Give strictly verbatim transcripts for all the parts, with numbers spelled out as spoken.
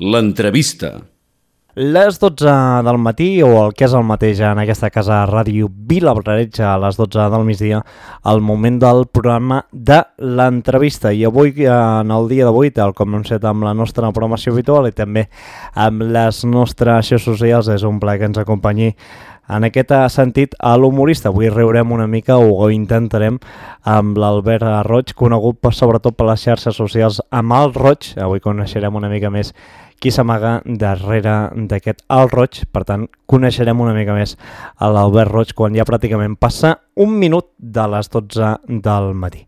L'entrevista. Les dotze del matí, o el que és el mateix en aquesta casa Ràdio Vilabrareig, a les dotze del migdia, el moment del programa de l'entrevista. I avui, en el dia d'avui, tal com hem fet amb la nostra programació habitual i també amb les nostres xarxes socials, és un plaer que ens acompanyi en aquest sentit a l'humorista. Avui riurem una mica, o ho intentarem, amb l'Albert Roig, conegut per, sobretot per les xarxes socials amb el Roig. Avui coneixerem una mica més qui s'amaga darrere d'aquest Alt Roig. Per tant, coneixerem una mica més a l'Albert Roig quan ja pràcticament passa un minut de les dotze del matí.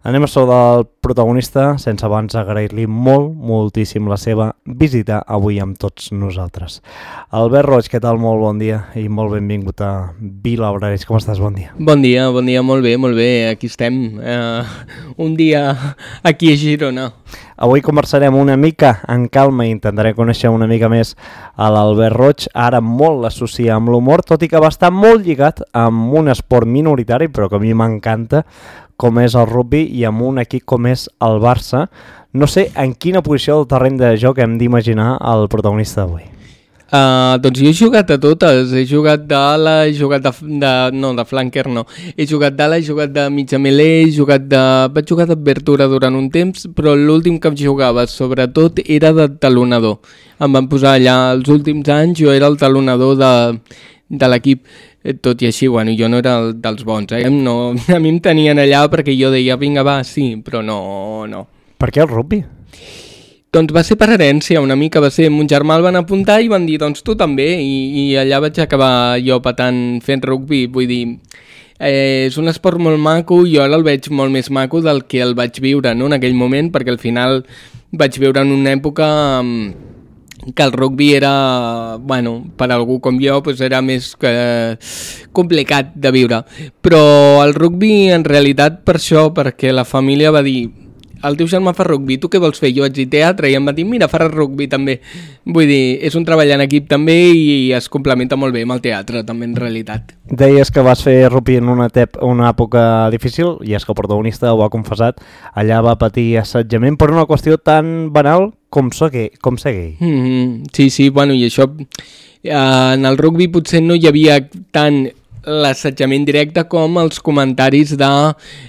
Anem a sobre el protagonista, sense abans agrair-li molt, moltíssim la seva visita avui amb tots nosaltres. Albert Roig, què tal? Molt bon dia i molt benvingut a Vilabrareig. Com estàs? Bon dia. Bon dia, bon dia, molt bé, molt bé. Aquí estem, uh, un dia aquí a Girona. Avui conversarem una mica en calma i intentaré conèixer una mica més a l'Albert Roig. Ara molt l'associa amb l'humor, tot i que va estar molt lligat amb un esport minoritari, però que a mi m'encanta, com és el rugby, i amb un equip com és el Barça. No sé en quina posició del terreny de joc hem d'imaginar el protagonista d'avui. Uh, doncs jo he jugat a totes, he jugat d'ala, he jugat de, de, no, de flanker no, he jugat d'ala, he jugat de mitja melé, he jugat de, vaig jugar d'obertura durant un temps, però l'últim que jugava sobretot era de talonador. Em van posar allà els últims anys, jo era el talonador de, de l'equip, tot i així, bueno, jo no era el dels bons, eh? No, a mi em tenien allà perquè jo deia, vinga va, sí, però no, no. Per què el rugby? Doncs va ser per herència una mica, va ser, mon germà el van apuntar i van dir, doncs tu també, i, i allà vaig acabar jo patant fent rugby, vull dir, eh, és un esport molt maco, jo ara el veig molt més maco del que el vaig viure, no?, en aquell moment, perquè al final vaig viure en una època que el rugby era, bueno, per algú com jo, pues era més que complicat de viure, però el rugby en realitat per això, perquè la família va dir, el teu germà fa rugby, tu què vols fer? Jo vaig dir teatre i em va dir, mira, faràs rugby també. Vull dir, és un treball en equip també i es complementa molt bé amb el teatre també en realitat. Deies que vas fer rugby en una, tep, una època difícil, i és que el protagonista ho ha confessat, allà va patir assetjament per una qüestió tan banal com ser gay. Com ser gay. Mm-hmm. Sí, sí, bueno, i això, eh, en el rugby potser no hi havia tant l'assetjament directe com els comentaris de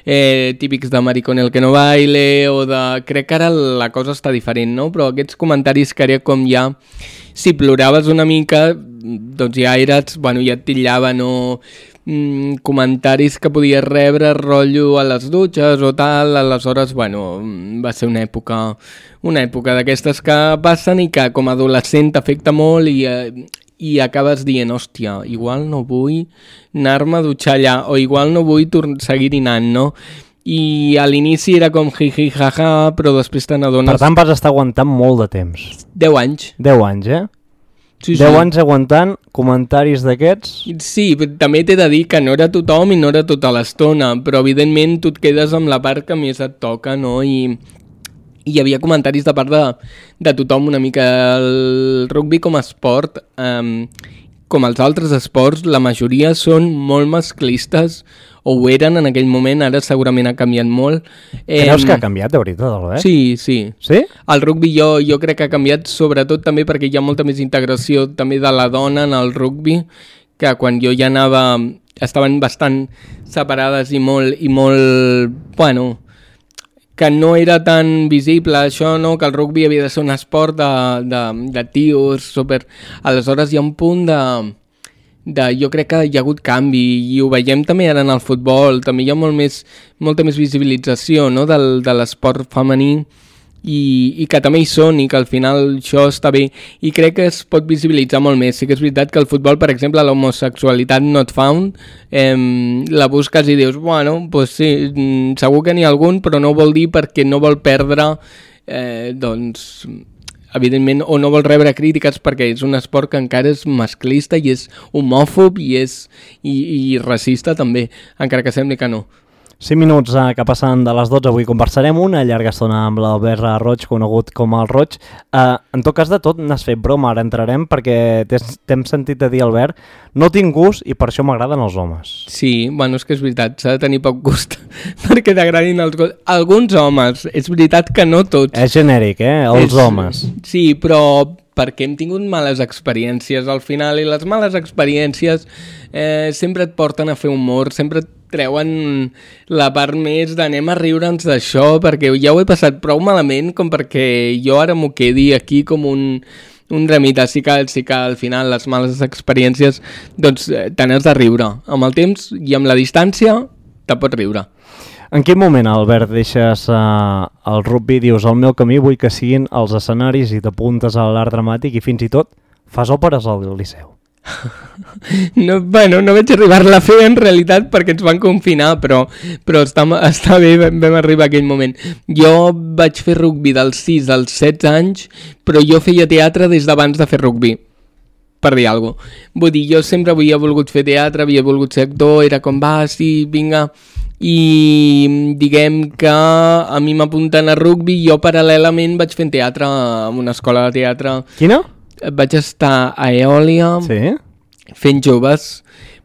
eh, típics de maricón el que no baile o de... Crec que ara la cosa està diferent, no? Però aquests comentaris que era com ja... Si ploraves una mica, doncs ja eres... Bueno, ja et tillaven o mm, comentaris que podies rebre rotllo a les dutxes o tal. Aleshores, bueno, va ser una època... Una època d'aquestes que passen i que com a adolescent t'afecta molt i... Eh, i acabes dient, hòstia, igual no vull anar-me a dutxar allà, o igual no vull seguir anant, no? I a l'inici era com jiji, jaja, però després te n'adones... Per tant, vas estar aguantant molt de temps. Deu anys. Deu anys, eh? Sí, Deu sí. anys aguantant comentaris d'aquests? Sí, també t'he de dir que no era tothom i no era tota l'estona, però evidentment tu et quedes amb la part que més et toca, no? I... I hi havia comentaris de part de, de tothom una mica. El rugby com a esport, um, com els altres esports, la majoria són molt masclistes, o ho eren en aquell moment, ara segurament ha canviat molt. Creus um, que ha canviat de veritat, Albert? Sí, sí. Sí? El rugby jo, jo crec que ha canviat sobretot també perquè hi ha molta més integració també de la dona en el rugby, que quan jo ja anava, estaven bastant separades i molt, i molt, bueno... que no era tan visible això, no? Que el rugby havia de ser un esport de, de, de tios, super... Aleshores hi ha un punt de, de... Jo crec que hi ha hagut canvi i ho veiem també ara en el futbol, també hi ha molt més, molta més visibilització, no? Del, de l'esport femení i, i que també hi són i que al final això està bé i crec que es pot visibilitzar molt més. Sí que és veritat que el futbol, per exemple, l'homosexualitat not found, eh, la busques i dius, bueno, pues sí, segur que n'hi ha algun, però no vol dir perquè no vol perdre, eh, doncs, evidentment, o no vol rebre crítiques perquè és un esport que encara és masclista i és homòfob i és i, i racista també, encara que sembli que no. cinc minuts eh, que passen de les dotze, avui conversarem una llarga estona amb l'Albert Roig, conegut com el Roig. Eh, en tot cas, de tot n'has fet broma, ara entrarem perquè t'hem sentit a dir, Albert, no tinc gust i per això m'agraden els homes. Sí, bueno, és que és veritat, s'ha de tenir poc gust perquè t'agradin els gossos. Alguns homes, és veritat que no tots. És genèric, eh? Els és... homes. Sí, però perquè hem tingut males experiències al final i les males experiències eh, sempre et porten a fer humor, sempre et treuen la part més d'anem a riure'ns d'això perquè ja ho he passat prou malament com perquè jo ara m'ho quedi aquí com un, un remite. Sí que, sí que al final les males experiències doncs te n'has de riure. Amb el temps i amb la distància te pots riure. En quin moment, Albert, deixes uh, el rugby, dius el meu camí vull que siguin els escenaris i t'apuntes a l'art dramàtic i fins i tot fas òperes al Liceu? No, bueno, no vaig arribar-la a fer en realitat perquè ens van confinar, però, però està, està bé, vam arribar a aquell moment. Jo vaig fer rugby dels sis als setze anys, però jo feia teatre des d'abans de fer rugby, per dir alguna cosa. Vull dir, jo sempre havia volgut fer teatre, havia volgut ser actor, era com va, sí, vinga, i diguem que a mi m'apunten a rugby i jo paral·lelament vaig fent teatre en una escola de teatre. Quina? Vaig estar a Eòlia, sí, fent joves,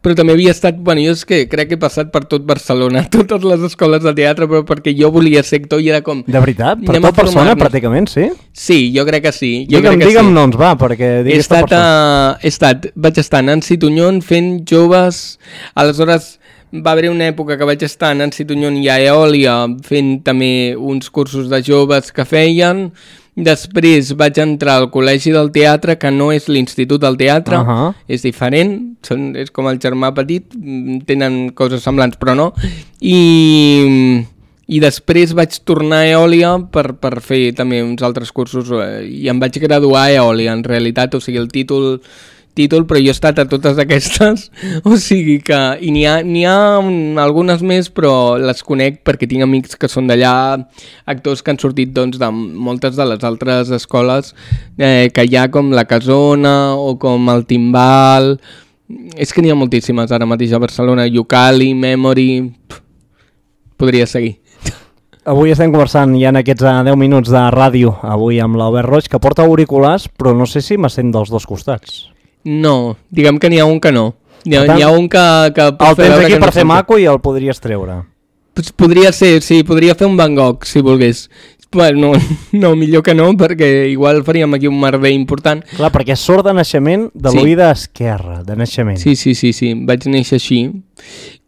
però també havia estat, bueno, jo és que crec que he passat per tot Barcelona, totes les escoles de teatre, però perquè jo volia ser actor i era com... De veritat? Per tot Barcelona, pràcticament, sí? Sí, jo crec que sí. Jo digue'm, crec que digue'm sí. noms, va, perquè digui aquesta persona. A, he estat, vaig estar a Nancy Tuñón fent joves, aleshores va haver una època que vaig estar a Nancy Tuñón i a Eòlia fent també uns cursos de joves que feien. Després vaig entrar al Col·legi del Teatre, que no és l'Institut del Teatre, uh-huh. és diferent, són, és com el germà petit, tenen coses semblants, però no. I, i després vaig tornar a Eòlia per, per fer també uns altres cursos i em vaig graduar a Eòlia, en realitat, o sigui, el títol... títol, però jo he estat a totes aquestes, o sigui que, i n'hi ha, n'hi ha un, algunes més, però les conec perquè tinc amics que són d'allà, actors que han sortit doncs, de moltes de les altres escoles eh, que hi ha, com la Casona o com el Timbal, és que n'hi ha moltíssimes ara mateix a Barcelona, Ucali, Memory, pff, podria seguir. Avui estem conversant ja en aquests deu minuts de ràdio, avui amb l'Albert Roig, que porta auriculars, però no sé si m'assent dels dos costats. No, diguem que n'hi ha un que no. N'hi ha, n'hi ha un que, que el tens aquí per no fer maco i el podries treure. Pues podria ser, sí, podria fer un Van Gogh, si volgués. Bueno, no, no, millor que no, perquè igual faríem aquí un merder important. Clar, perquè surt de naixement de sí. l'oïda esquerra, de naixement. Sí, sí, sí, sí, vaig néixer així.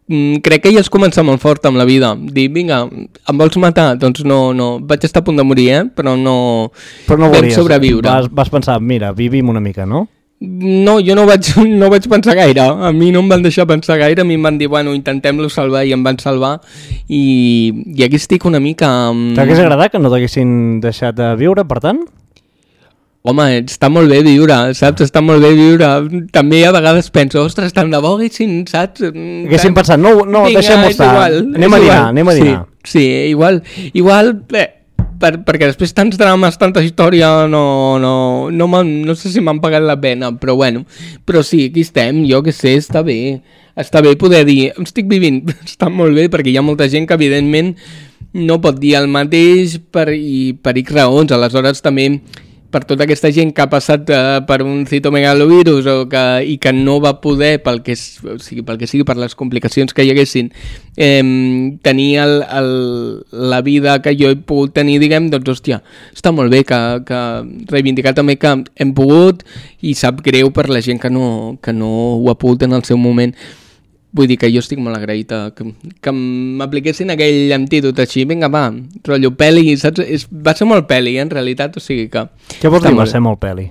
Mm, crec que ja has començat molt fort amb la vida. Dir, vinga, em vols matar? Doncs no, no. Vaig estar a punt de morir, eh? Però no, Però no vam volies, sobreviure. Vas, vas pensar, mira, vivim una mica, no? No, jo no vaig, no vaig pensar gaire. A mi no em van deixar pensar gaire. A mi em van dir, bueno, intentem-lo salvar, i em van salvar. I, i aquí estic una mica... Amb... T'hagués agradat que no t'haguessin deixat de viure, per tant? Home, està molt bé viure, saps? Està molt bé viure. També a vegades penso, ostres, tant de bo haguessin, saps? Haguessin pensat, no, no deixem-ho estar. Igual, anem a dinar, anem a dinar. Sí, sí, igual, igual... Eh, Per, perquè després tants drames, tanta història, no, no, no, no sé si m'han pagat la pena, però bueno, però sí, aquí estem, jo que sé, està bé, està bé poder dir, estic vivint, està molt bé, perquè hi ha molta gent que evidentment no pot dir el mateix per, i per X raons, aleshores també per tota aquesta gent que ha passat uh, per un citomegalovirus o que, i que no va poder, pel que, o sigui, pel que sigui, per les complicacions que hi haguessin, eh, tenir el, el, la vida que jo he pogut tenir, diguem, doncs, hòstia, està molt bé que, que reivindicar també que hem pogut i sap greu per la gent que no, que no ho ha pogut en el seu moment. Vull dir que jo estic molt agraït que, que m'apliquessin aquell antídot així, vinga va, rotllo peli, saps? És, va ser molt peli, eh, en realitat, o sigui que... Què vols dir va ser molt peli?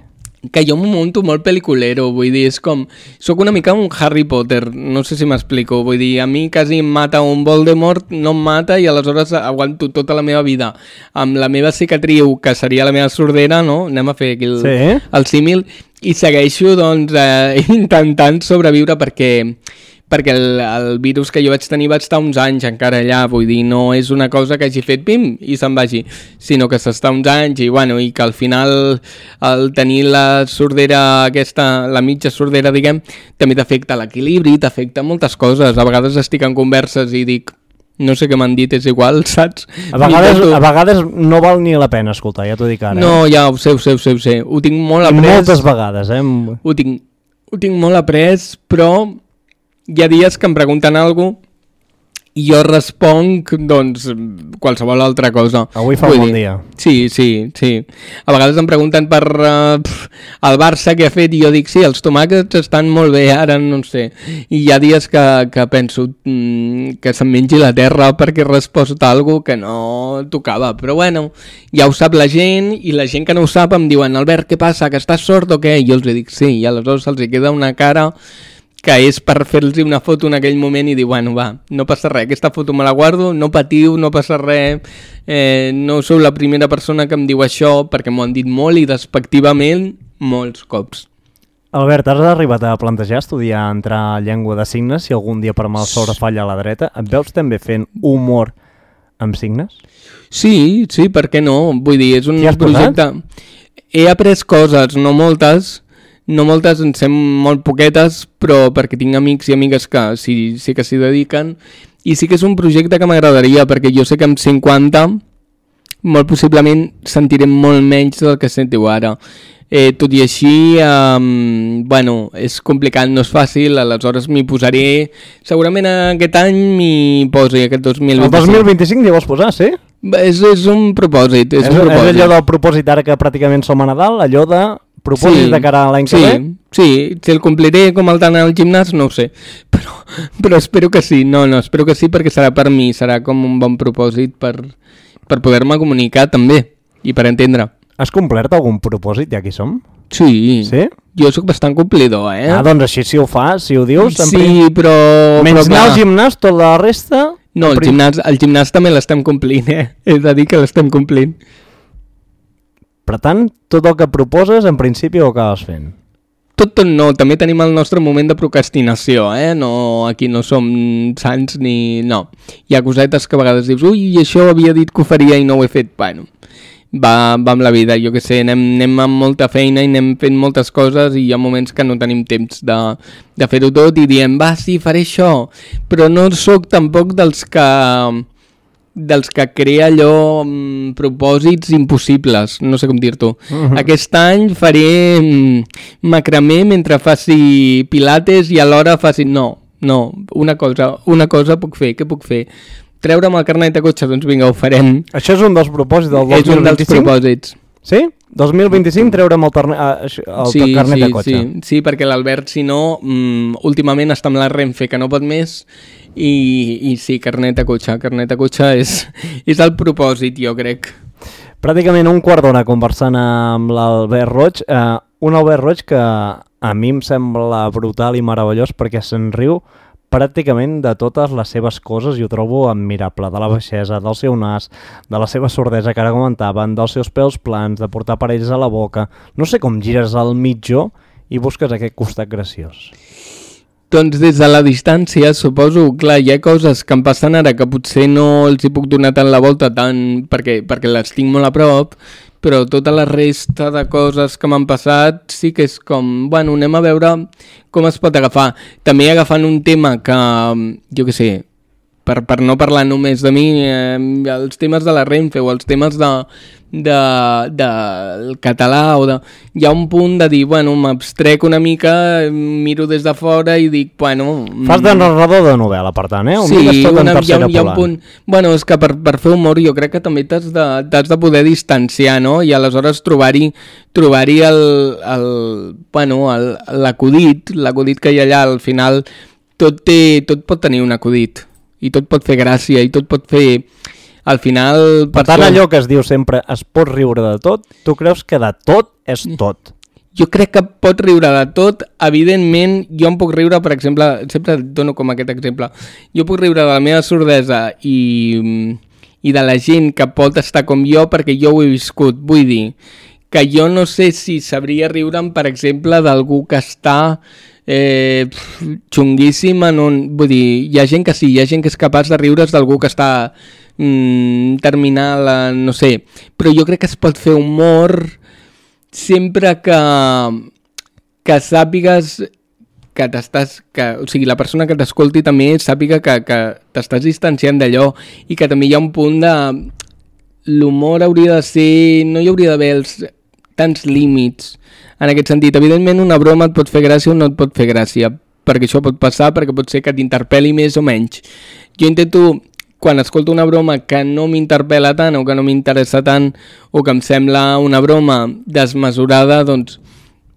Que jo m'ho monto molt pel·liculero, vull dir, és com... Soc una mica un Harry Potter, no sé si m'explico, vull dir, a mi quasi em mata un Voldemort, no em mata i aleshores aguanto tota la meva vida amb la meva cicatriu, que seria la meva sordera, no? Anem a fer aquí el, sí. el símil, i segueixo, doncs, eh, intentant sobreviure perquè... perquè el, el virus que jo vaig tenir va estar uns anys encara allà, vull dir, no és una cosa que hagi fet pim i se'n vagi, sinó que s'està uns anys i, bueno, i que al final el tenir la sordera aquesta, la mitja sordera, diguem, també t'afecta l'equilibri, t'afecta moltes coses. A vegades estic en converses i dic, no sé què m'han dit, és igual, saps? A vegades, a vegades no val ni la pena escoltar, ja t'ho dic ara. No, eh? ja ho sé, ho sé, ho sé, ho sé. Ho tinc molt I après. moltes vegades, eh? Ho tinc, ho tinc molt après, però hi ha dies que em pregunten alguna cosa i jo responc, doncs, qualsevol altra cosa. Avui fa Vull un bon dir, dia. Sí, sí, sí. A vegades em pregunten per uh, pf, el Barça què ha fet i jo dic, sí, els tomàquets estan molt bé, ara no sé. I hi ha dies que, que penso mm, que se'm mengi la terra perquè he respost alguna que no tocava. Però bueno, ja ho sap la gent i la gent que no ho sap em diuen, Albert, què passa, que estàs sord o què? I jo els dic, sí, i aleshores se'ls queda una cara que és per fer-los una foto en aquell moment i dir, bueno, va, no passa res, aquesta foto me la guardo, no patiu, no passa res, eh, no sou la primera persona que em diu això, perquè m'ho han dit molt i despectivament molts cops. Albert, has arribat a plantejar estudiar entrar a llengua de signes si algun dia per mal sort falla a la dreta? Et veus també fent humor amb signes? Sí, sí, per què no? Vull dir, és un T'hi has projecte... He après coses, no moltes, no moltes, en sé molt poquetes, però perquè tinc amics i amigues que sí, sí que s'hi dediquen, i sí que és un projecte que m'agradaria, perquè jo sé que amb cinquanta molt possiblement sentirem molt menys del que sentiu ara. Eh, tot i així, um, bueno, és complicat, no és fàcil, aleshores m'hi posaré, segurament aquest any m'hi posi, aquest dos mil vint-i-cinc. El dos mil vint-i-cinc t'hi vols posar, sí? És, és un propòsit, és, És, un propòsit. és allò del propòsit ara que pràcticament som a Nadal, allò de propòsit Sí, de cara a l'any que sí, ve? sí, si el compliré com el d'anar al gimnàs, no ho sé, però, però espero que sí, no, no, espero que sí perquè serà per mi, serà com un bon propòsit per, per poder-me comunicar també i per entendre. Has complert algun propòsit ja que hi som? Sí, Sí? jo sóc bastant complidor, eh? Ah, doncs així si ho fas, si ho dius... en sí, prim- però... Menys però anar al clar, gimnàs, tot la resta... no, en el prim- gimnàs, el gimnàs també l'estem complint, eh? He de dir que l'estem complint. Per tant, tot el que proposes, en principi ho acabes fent. Tot, tot no, també tenim el nostre moment de procrastinació, eh? No, aquí no som sants ni... No, hi ha cosetes que a vegades dius, ui, això havia dit que ho faria i no ho he fet. Bueno, va, va amb la vida, jo que sé, anem, anem amb molta feina i anem fent moltes coses i hi ha moments que no tenim temps de, de fer-ho tot i diem, va, sí, faré això, però no sóc tampoc dels que... dels que crea allò mm, propòsits impossibles, no sé com dir-t'ho. Uh-huh. Aquest any faré mm, macramé mentre faci pilates i alhora faci... No, no, una cosa, una cosa puc fer, què puc fer? Treure'm el carnet de cotxe, doncs vinga, ho farem. Això és un dels propòsits del dos És mil un dels vint-i-cinc? propòsits. Sí? dos mil vint-i-cinc treure'm el, torne... el Sí, carnet sí, de cotxe. sí, sí, perquè l'Albert, si no, mm, últimament està amb la Renfe, que no pot més, i, i sí, carnet de cotxe, carnet de cotxe és, és el propòsit, jo crec. Pràcticament un quart d'hora conversant amb l'Albert Roig, eh, un Albert Roig que a mi em sembla brutal i meravellós perquè se'n riu pràcticament de totes les seves coses i ho trobo admirable, de la baixesa, del seu nas, de la seva sordesa que ara comentaven, dels seus pèls plans, de portar parells a la boca... No sé com gires al mitjó i busques aquest costat graciós. Doncs des de la distància, suposo, clar, hi ha coses que em passen ara que potser no els hi puc donar tant la volta tant perquè, perquè les tinc molt a prop, però tota la resta de coses que m'han passat sí que és com, bueno, anem a veure com es pot agafar. També agafant un tema que, jo què sé, per, per no parlar només de mi, eh, els temes de la Renfe o els temes de, de, del català, o de, hi ha un punt de dir, bueno, m'abstrec una mica, miro des de fora i dic, bueno... Fas de narrador de novel·la, per tant, eh? Ho sí, mires tot en una, hi, ha, tercera hi ha un plana. punt... Bueno, és que per, per fer humor jo crec que també t'has de, t'has de poder distanciar, no? I aleshores trobar-hi trobar-hi el, el, bueno, el, l'acudit, l'acudit que hi ha allà, al final tot, té, tot pot tenir un acudit i tot pot fer gràcia i tot pot fer... Al final... Per tant, allò que es diu sempre, es pot riure de tot, tu creus que de tot és tot? Jo crec que pot riure de tot, evidentment, jo em puc riure, per exemple, sempre dono com aquest exemple, jo puc riure de la meva sordesa i, i de la gent que pot estar com jo perquè jo ho he viscut, vull dir, que jo no sé si sabria riure'm, per exemple, d'algú que està eh, xunguíssim en un... Vull dir, hi ha gent que sí, hi ha gent que és capaç de riure's d'algú que està mm, terminal, no sé, però jo crec que es pot fer humor sempre que, que sàpigues que t'estàs, que, o sigui, la persona que t'escolti també sàpiga que, que t'estàs distanciant d'allò i que també hi ha un punt de... L'humor hauria de ser... No hi hauria d'haver els tants límits en aquest sentit. Evidentment una broma et pot fer gràcia o no et pot fer gràcia, perquè això pot passar, perquè pot ser que t'interpel·li més o menys. Jo intento, quan escolto una broma que no m'interpel·la tant o que no m'interessa tant o que em sembla una broma desmesurada, doncs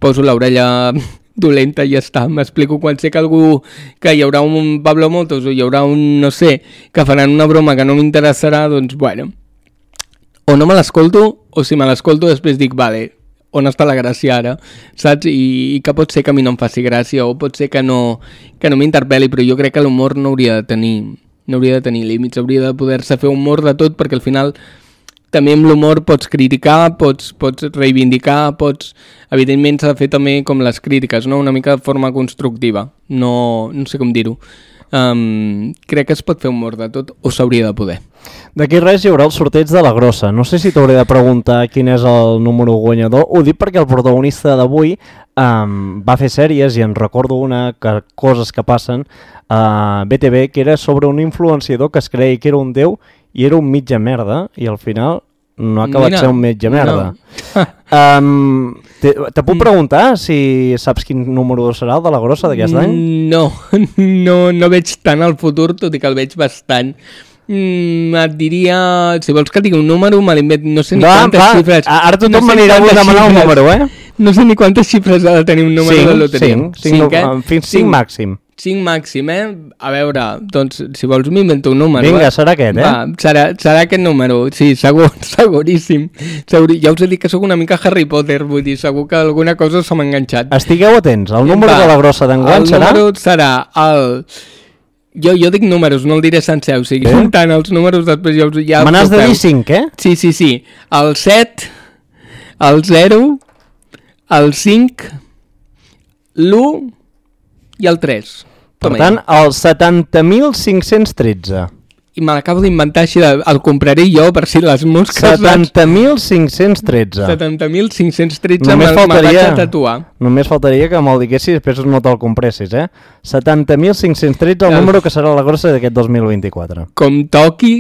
poso l'orella dolenta i ja està. M'explico quan sé que algú, que hi haurà un Pablo Motos o hi haurà un, no sé, que faran una broma que no m'interessarà, doncs bueno, o no me l'escolto, o si me l'escolto després dic, vale, on està la gràcia ara, saps? I, i que pot ser que a mi no em faci gràcia, o pot ser que no, que no m'interpel·li, però jo crec que l'humor no hauria de tenir, no hauria de tenir límits, hauria de poder-se fer humor de tot, perquè al final també amb l'humor pots criticar, pots, pots reivindicar, pots... Evidentment s'ha de fer també com les crítiques, no? Una mica de forma constructiva, no, no sé com dir-ho. Um, crec que es pot fer humor de tot, o s'hauria de poder. D'aquí res hi haurà el sorteig de la grossa. No sé si t'hauré de preguntar quin és el número guanyador. Ho dic perquè el protagonista d'avui um, va fer sèries i en recordo una que, coses que passen a B T V, que era sobre un influenciador que es creia que era un déu i era un mitja merda i al final no ha acabat Mira, ser un mitja merda. No. um, te, te puc preguntar si saps quin número serà el de la grossa d'aquest any? No, no, no veig tant el futur, tot i que el veig bastant. Mm, et diria, si vols que et digui un número, me l'invent, no sé ni Va, quantes va, xifres. Ara tothom no sé m'anirà a demanar un número, eh? No sé ni quantes xifres ha de tenir un número de loteria. cinc, cinc, eh? Fins cinc màxim. cinc màxim, eh? A veure, doncs, si vols m'invento un número. Vinga, eh? serà aquest, eh? Va, serà, serà aquest número, sí, segur, seguríssim. Segur, ja us he dit que sóc una mica Harry Potter, vull dir, segur que alguna cosa se m'ha enganxat. Estigueu atents, el número Va, de la grossa d'enguany serà... El número serà el... Jo, jo dic números, no el diré sencer, o sigui, eh? Tant els números després ja, ja Me n'has de dir cinc, eh? Sí, sí, sí. El set, el zero, el cinc, l'u i el tres. Per tant, el setanta mil cinc-cents tretze. I me l'acabo d'inventar així, de, el compraré jo per si les mosques... setanta mil cinc-cents tretze. setanta mil cinc-cents tretze Només me'l vaig faltaria, a tatuar. només faltaria que me'l diguessis i després no te'l compressis, eh? setanta mil cinc-cents tretze, el Ja. número que serà la grossa d'aquest dos mil vint-i-quatre. Com toqui,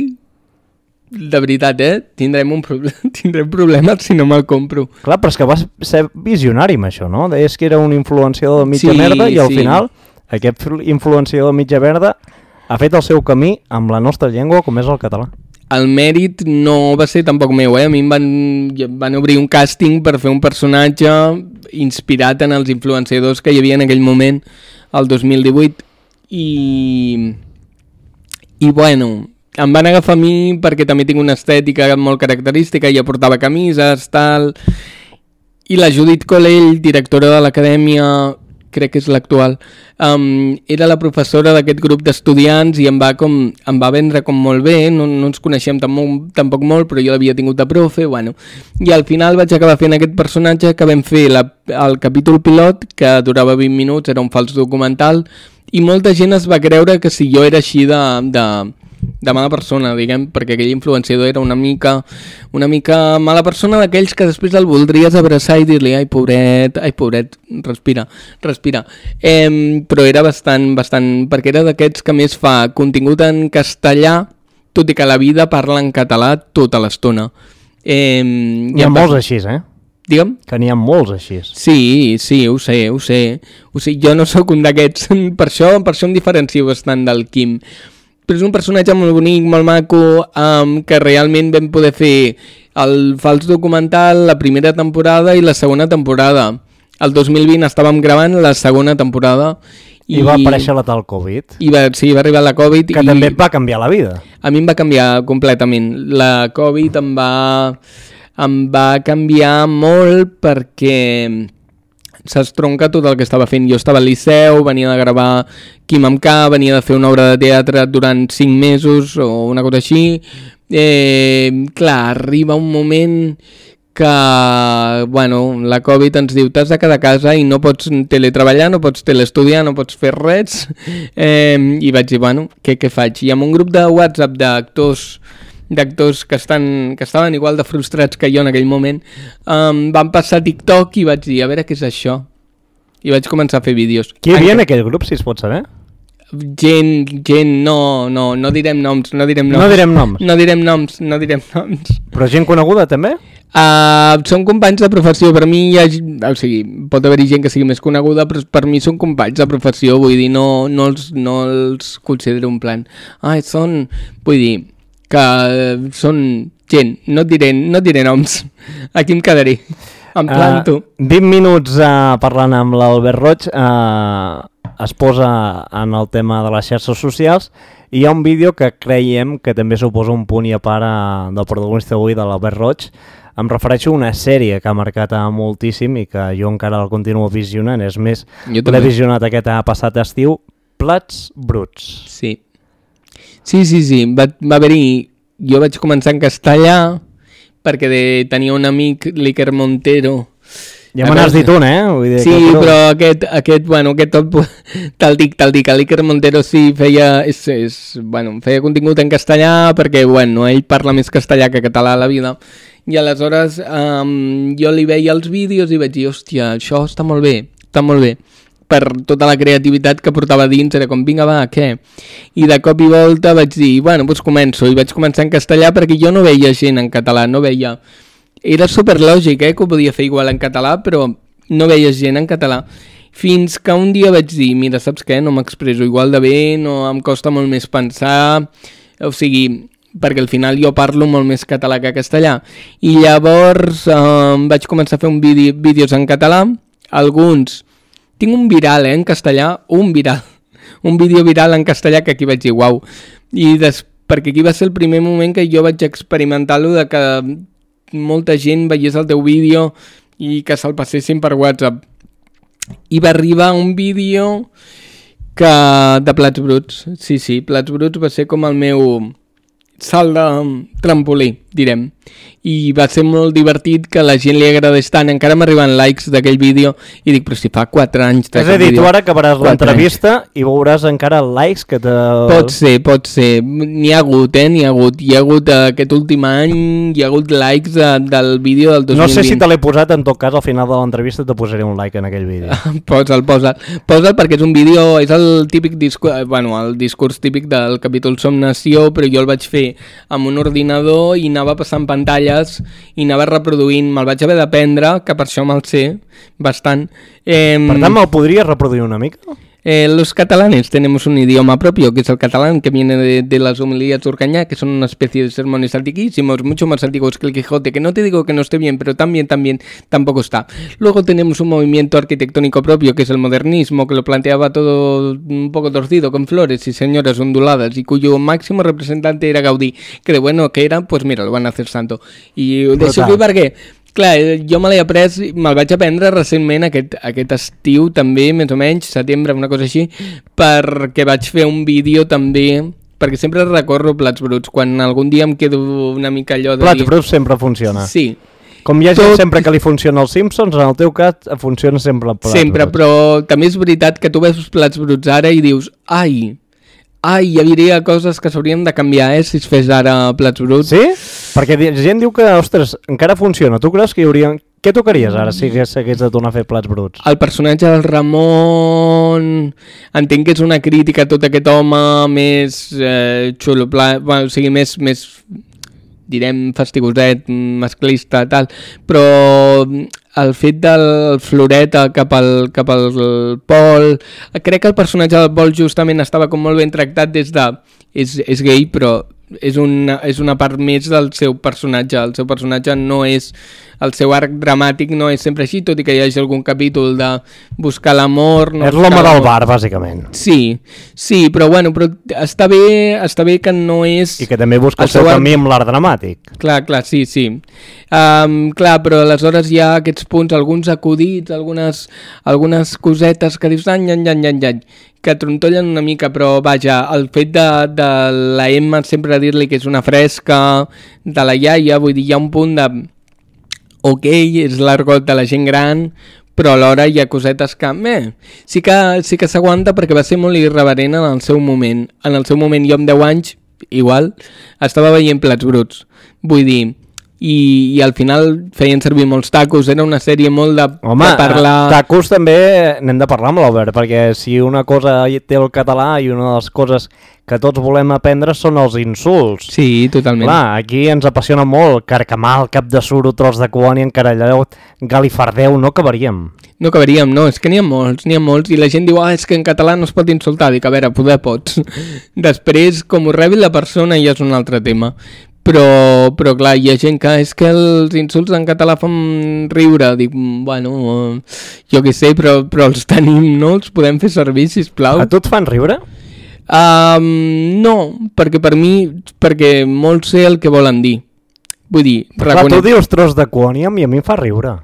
de veritat, eh? Tindrem, un proble tindrem problemes si no me'l compro. Clar, però és que vas ser visionari amb això, no? Deies que era un influenciador de mitja Sí, merda i al sí. final aquest influenciador de mitja merda ha fet el seu camí amb la nostra llengua com és el català. El mèrit no va ser tampoc meu, eh? A mi em van, van obrir un càsting per fer un personatge inspirat en els influenciadors que hi havia en aquell moment, el dos mil divuit, i... i bueno, em van agafar a mi perquè també tinc una estètica molt característica, ja portava camises, tal... I la Judit Colell, directora de l'acadèmia, crec que és l'actual, um, era la professora d'aquest grup d'estudiants i em va, com, em va vendre com molt bé, no, no ens coneixem tampoc, tampoc molt, però jo l'havia tingut de profe, bueno. I al final vaig acabar fent aquest personatge que vam fer la, el capítol pilot, que durava vint minuts, era un fals documental, i molta gent es va creure que si jo era així de... de de mala persona, diguem, perquè aquell influenciador era una mica una mica mala persona, d'aquells que després el voldries abraçar i dir-li ai pobret, ai pobret, respira, respira. Eh, però era bastant, bastant, perquè era d'aquests que més fa contingut en castellà, tot i que la vida parla en català tota l'estona. Eh, N'hi ha molts així, eh? Digue'm? Que n'hi ha molts així. Sí, sí, ho sé, ho sé. Ho sé. Jo no sóc un d'aquests, per això, per això em diferencio bastant del Quim. Però és un personatge molt bonic, molt maco, um, que realment vam poder fer el fals documental, la primera temporada i la segona temporada. El dos mil vint estàvem gravant la segona temporada. I, I va aparèixer la tal Covid. I va, sí, va arribar la Covid. Que i també va canviar la vida. A mi em va canviar completament. La Covid em va, em va canviar molt perquè s'estronca tot el que estava fent. Jo estava al Liceu, venia de gravar Quim amb K, venia de fer una obra de teatre durant cinc mesos o una cosa així. Eh, clar, arriba un moment que, bueno, la Covid ens diu t'has de quedar a casa i no pots teletreballar, no pots telestudiar, no pots fer res. Eh, I vaig dir, bueno, què, què faig? I amb un grup de WhatsApp d'actors d'actors que, estan, que estaven igual de frustrats que jo en aquell moment, um, van passar TikTok i vaig dir, a veure què és això. i vaig començar a fer vídeos. Qui hi havia en aquell grup, si es pot saber? Gent, gent, no, no, no direm noms, no direm noms. No direm noms? No direm noms, no direm noms. Però gent coneguda, també? Uh, són companys de professió, per mi hi ha, o sigui, pot haver-hi gent que sigui més coneguda, però per mi són companys de professió, vull dir, no, no, els, no els considero un plan. Ai, són, vull dir, que són gent, no et diré, no et diré noms, aquí em quedaré, em planto. Uh, vint minuts uh, parlant amb l'Albert Roig, uh, es posa en el tema de les xarxes socials i hi ha un vídeo que creiem que també suposa un punt i a part uh, del protagonista avui, de l'Albert Roig. Em refereixo a una sèrie que ha marcat moltíssim i que jo encara el continuo visionant. És més, l'he visionat aquest passat estiu, Plats bruts. Sí, sí, sí, sí. Va, va haver-hi... Jo vaig començar en castellà perquè de, tenia un amic, l'Iker Montero. Ja me n'has dit un, eh? Vull dir sí, que... però aquest, aquest, bueno, aquest tot, te'l dic, te'l dic. L'Iker Montero sí feia, és, és, bueno, feia contingut en castellà perquè, bueno, ell parla més castellà que català a la vida. I aleshores um, jo li veia els vídeos i vaig dir, hòstia, això està molt bé, està molt bé. Per tota la creativitat que portava dins, era com, vinga, va, què? I de cop i volta vaig dir, bueno, doncs començo. I vaig començar en castellà perquè jo no veia gent en català, no veia... Era superlògic, eh, que ho podia fer igual en català, però no veia gent en català. Fins que un dia vaig dir, mira, saps què? No m'expresso igual de bé, no em costa molt més pensar... O sigui... perquè al final jo parlo molt més català que castellà, i llavors eh, vaig començar a fer un vídeo, vídeos en català, alguns, tinc un viral eh, en castellà, un viral, un vídeo viral en castellà que aquí vaig dir, uau, i des, perquè aquí va ser el primer moment que jo vaig experimentar-lo de que molta gent veiés el teu vídeo i que se'l passessin per WhatsApp, i va arribar un vídeo que de Plats bruts, sí, sí, Plats bruts va ser com el meu... salt de trampolí, direm. I va ser molt divertit, que la gent li agradés tant. Encara m'arriben likes d'aquell vídeo i dic, però si fa quatre anys... És a dir, tu ara acabaràs l'entrevista i veuràs encara likes que te... Pot ser, pot ser. N'hi ha hagut, eh? N'hi ha hagut. Hi ha hagut aquest últim any, hi ha hagut likes de, del vídeo del dos mil vint. No sé si te l'he posat, en tot cas, al final de l'entrevista te posaré un like en aquell vídeo. Posa'l, posa'l. Posa'l perquè és un vídeo, és el típic discurs, bueno, el discurs típic del capítol Som Nació, però jo el vaig fer amb un ordinador i anava passant pantalles i anava reproduint, me'l vaig haver d'aprendre, que per això me'l sé bastant. Eh, per tant, me'l podries reproduir una mica? Eh, los catalanes tenemos un idioma propio, que es el catalán, que viene de, de las homilías de Urcañá, que son una especie de sermones antiquísimos, mucho más antiguos que el Quijote, que no te digo que no esté bien, pero también, también, tampoco está. Luego tenemos un movimiento arquitectónico propio, que es el modernismo, que lo planteaba todo un poco torcido, con flores y señoras onduladas, y cuyo máximo representante era Gaudí, que de bueno que era, pues mira, lo van a hacer santo. Y de això que perquè... Clar, jo me l'he après, me'l vaig aprendre recentment aquest, aquest estiu també, més o menys, setembre, una cosa així, perquè vaig fer un vídeo també, perquè sempre recorro Plats bruts, quan algun dia em quedo una mica allò de Plats dir... bruts sempre funciona. Sí. Com hi ha gent Tot... sempre que li funciona els Simpsons, en el teu cas funciona sempre Plats sempre, bruts. Però també és veritat que tu veus Plats bruts ara i dius, ai... Ai, hi hauria coses que s'haurien de canviar, eh, si es fes ara Plats bruts. Sí? Perquè la gent diu que, ostres, encara funciona. Tu creus que hi hauria... Què tocaries ara si hagués de tornar a fer Plats bruts? El personatge del Ramon... Entenc que és una crítica a tot aquest home més eh, xulo, pla... bueno, o sigui, més... més direm fastigoset, masclista, tal, però el fet del Floreta cap al, cap al Pol, crec que el personatge del Pol justament estava com molt ben tractat des de... És, és gay, però és una, és una part més del seu personatge. El seu personatge no és... El seu arc dramàtic no és sempre així, tot i que hi hagi algun capítol de buscar l'amor... No és l'home del bar, bàsicament. Sí, sí, però bueno, però està bé, està bé que no és... I que també busca el, el seu camí amb l'art dramàtic. Clar, clar, sí, sí. Um, clar, però aleshores hi ha aquests punts, alguns acudits, algunes, algunes cosetes que dius... Any, any, any, any, any, que trontollen una mica, però vaja, el fet de, de la Emma sempre dir-li que és una fresca, de la iaia, vull dir, hi ha un punt de... Ok, és l'argot de la gent gran, però alhora hi ha cosetes que... Eh, sí que sí que s'aguanta perquè va ser molt irreverent en el seu moment. En el seu moment, jo amb deu anys, igual, estava veient Plats bruts. Vull dir, i, i al final feien servir molts tacos, era una sèrie molt de, Home, de parlar... tacos també n'hem de parlar amb l'Albert, perquè si una cosa té el català i una de les coses que tots volem aprendre són els insults. Sí, totalment. Clar, aquí ens apassiona molt carcamal, cap de suro, tros de colònia, encaralladot, galifardeu, no acabaríem. No acabaríem, no, és que n'hi ha molts, n'hi ha molts, i la gent diu, ah, és que en català no es pot insultar, dic, a veure, poder pots. Després, com ho rebi la persona, ja és un altre tema. Però, però clar, hi ha gent que és que els insults en català fan riure, dic, bueno, jo què sé, però, però els tenim, no? Els podem fer servir, sisplau. A tu et fan riure? Um, no, perquè per mi, perquè molts sé el que volen dir. Vull dir, clar, reconec... tu dius tros de colònia i a mi em fa riure.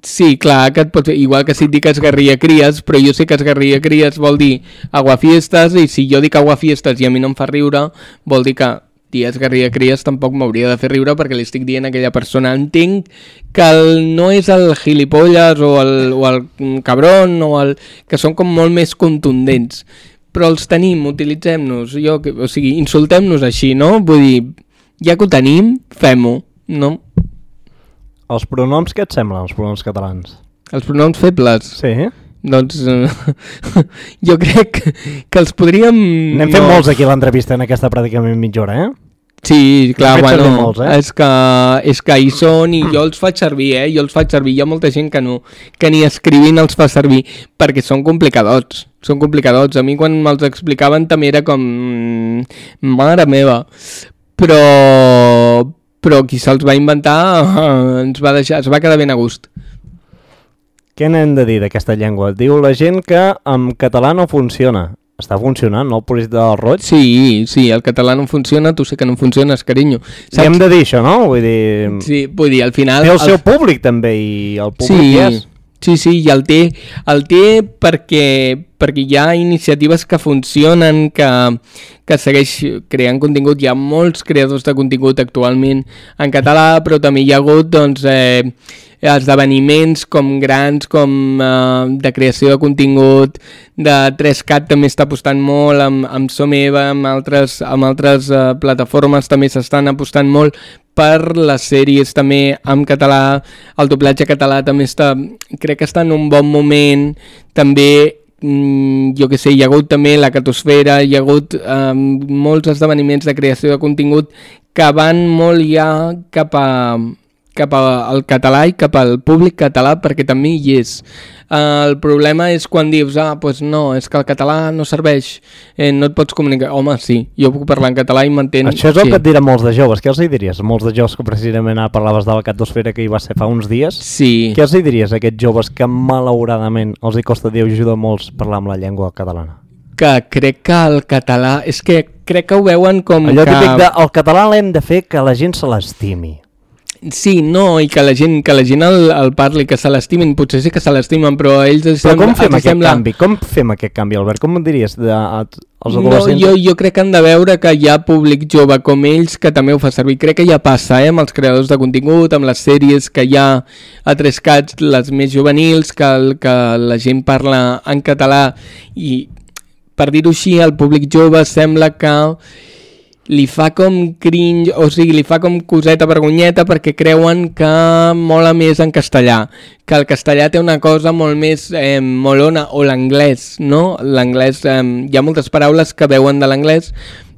Sí, clar, que et pot fer, igual que si et dic esgarria cries, però jo sé que esgarria cries vol dir aguafiestes, i si jo dic aguafiestes i a mi no em fa riure, vol dir que dir esgarria cries tampoc m'hauria de fer riure perquè li estic dient a aquella persona. Entenc que el, no és el gilipolles o el, o el cabron, o el, que són com molt més contundents, però els tenim, utilitzem-nos, jo, o sigui, insultem-nos així, no? Vull dir, ja que ho tenim, fem-ho, no? Els pronoms, què et semblen, els pronoms catalans? Els pronoms febles? Sí. Doncs eh, jo crec que els podríem... N'hem fet no... molts aquí a l'entrevista en aquesta pràcticament mitja hora, eh? Sí, clar, bueno, molts, eh? és, que, és que hi són i jo els faig servir, eh? Jo els faig servir, hi ha molta gent que no, que ni escrivint els fa servir, perquè són complicadots, són complicadots. A mi quan me'ls explicaven també era com... Mare meva. Però... però qui se'ls va inventar ens va deixar, es va quedar ben a gust. Què n'hem de dir d'aquesta llengua? Diu la gent que en català no funciona. Està funcionant, no? El Polític del Roig? Sí, sí, el català no funciona, tu sé que no funciones, carinyo. Saps? I hem de dir això, no? Vull dir... Sí, vull dir, al final... Té el seu el... públic també, i el públic sí, és... Sí, sí, i el té, el té perquè, perquè hi ha iniciatives que funcionen, que, que segueix creant contingut. Hi ha molts creadors de contingut actualment en català, però també hi ha hagut doncs, eh, esdeveniments com grans, com eh, de creació de contingut, de tres cat també està apostant molt, amb, amb Someva, amb altres, amb altres eh, plataformes també s'estan apostant molt per les sèries també en català, el doblatge català també està, crec que està en un bon moment, també, mmm, jo què sé, hi ha hagut també la catosfera, hi ha hagut eh, molts esdeveniments de creació de contingut que van molt ja cap a... cap al català i cap al públic català, perquè també hi és. Uh, el problema és quan dius, ah, doncs no, és que el català no serveix, eh, no et pots comunicar. Home, sí, jo puc parlar en català i m'entén. Això és el sí. que et dirà molts de joves. Què els hi diries? Molts de joves que precisament ara parlaves de la catosfera que hi va ser fa uns dies. Sí. Què els hi diries a aquests joves que malauradament els hi costa dir ajuda molts parlar amb la llengua catalana? Que crec que el català... És que crec que ho veuen com allò que... Allò típic de, el català l'hem de fer que la gent se l'estimi. Sí, no, i que la gent, que la gent el, el parli, que se l'estimin, potser sí que se l'estimen, però a ells... Però com fem aquest sembla... canvi? Com fem aquest canvi, Albert? Com em diries de, a, als No, adolescents? jo, jo crec que han de veure que hi ha públic jove com ells que també ho fa servir. Crec que ja passa, eh, amb els creadors de contingut, amb les sèries que hi ha a tres cats, les més juvenils, que, el, que la gent parla en català, i per dir-ho així, el públic jove sembla que li fa com cringe, o sigui, li fa com coseta vergonyeta perquè creuen que mola més en castellà, que el castellà té una cosa molt més eh, molona, o l'anglès, no? L'anglès, eh, hi ha moltes paraules que veuen de l'anglès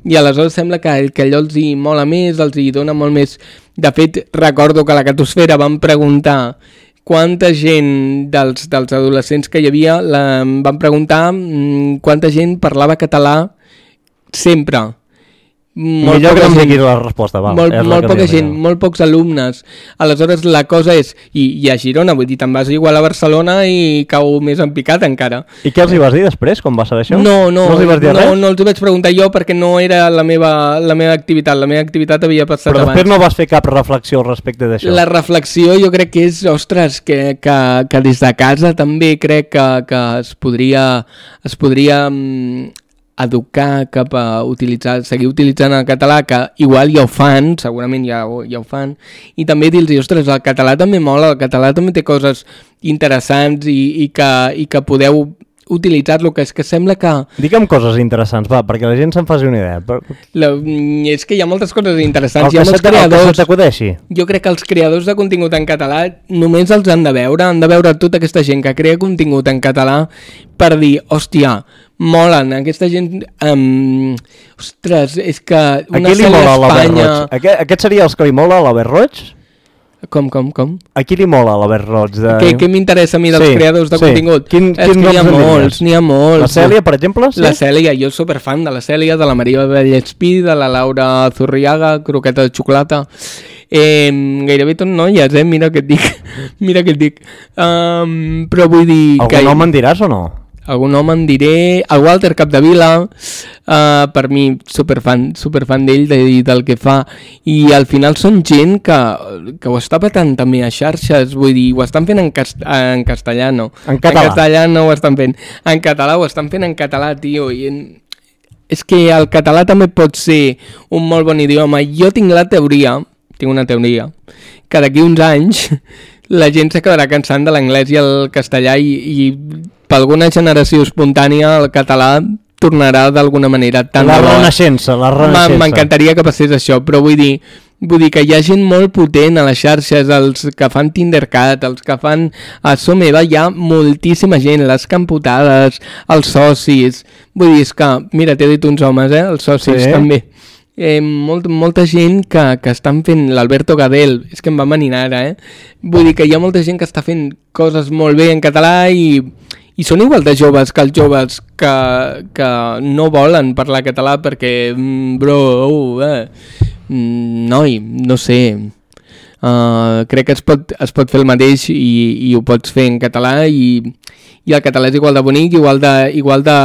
i aleshores sembla que, que allò els hi mola més, els hi dona molt més. De fet, recordo que a la catosfera van preguntar quanta gent dels, dels adolescents que hi havia, la, van preguntar mmm, quanta gent parlava català sempre. Molt millor que no em diguis la resposta, val. Molt, molt poca gent, jo. Molt pocs alumnes. Aleshores la cosa és, i, i a Girona, vull dir, te'n vas igual a Barcelona i cau més en picat encara. I què els hi vas dir després, quan vas saber això? No, no, no els hi vas dir no, res? no els hi vaig preguntar jo perquè no era la meva, la meva activitat, la meva activitat havia passat abans. Però després abans. No vas fer cap reflexió al respecte d'això? La reflexió jo crec que és, ostres, que, que, que des de casa també crec que, que es podria... Es podria educar cap a utilitzar, seguir utilitzant el català, que igual ja ho fan, segurament ja, ja ho fan, i també dir-los, ostres, el català també mola, el català també té coses interessants i, i, que, i que podeu utilitzar-lo, que és que sembla que... Digue'm coses interessants, va, perquè la gent se'n faci una idea. Però... La, és que hi ha moltes coses interessants. El que, se, creadors, el que se t'acudeixi. Jo crec que els creadors de contingut en català només els han de veure, han de veure tota aquesta gent que crea contingut en català per dir, hòstia, molen, aquesta gent... Um, ostres, és que una sèrie a Espanya... Aquest, aquest seria els que li mola a l'Albert Roig? Com, com, com? A qui li mola l'Albert Roig? De... Què, què m'interessa a mi dels sí, creadors de sí. contingut? Quin, és quin que n'hi ha molts, n'hi ha molts. La Cèlia, per exemple? Sí? La Cèlia, jo soc superfan de la Cèlia, de la Maria Vallespí, de la Laura Zurriaga, croqueta de xocolata. Eh, gairebé tot noies, eh? Mira què et dic. Mira què et dic. Um, però vull dir... Algun que... nom en diràs o no? Algun home en diré, el Walter Capdevila, uh, per mi superfan, superfan d'ell, de, del que fa, i al final són gent que, que ho està patant també a xarxes, vull dir, ho estan fent en, cast en castellà, no. En català. En castellà no ho estan fent, en català ho estan fent en català, tio, i en... és que el català també pot ser un molt bon idioma. Jo tinc la teoria, tinc una teoria, que d'aquí uns anys la gent s'acabarà cansant de l'anglès i el castellà i, i per alguna generació espontània el català tornarà d'alguna manera tan la renaixença, la renaixença. M'encantaria que passés això, però vull dir, vull dir que hi ha gent molt potent a les xarxes, els que fan Tindercat, els que fan a So Meva, hi ha moltíssima gent, les camputades, els socis, vull dir, és que, mira, t'he dit uns homes, eh, els socis sí. també. Eh, molt, molta gent que, que estan fent l'Alberto Gadel, és que em va maninar ara, eh? Vull dir que hi ha molta gent que està fent coses molt bé en català i, i són igual de joves que els joves que, que no volen parlar català perquè, mm, bro, uh, eh, mm, noi, no sé, uh, crec que es pot, es pot fer el mateix i, i ho pots fer en català i, i el català és igual de bonic, igual de, igual de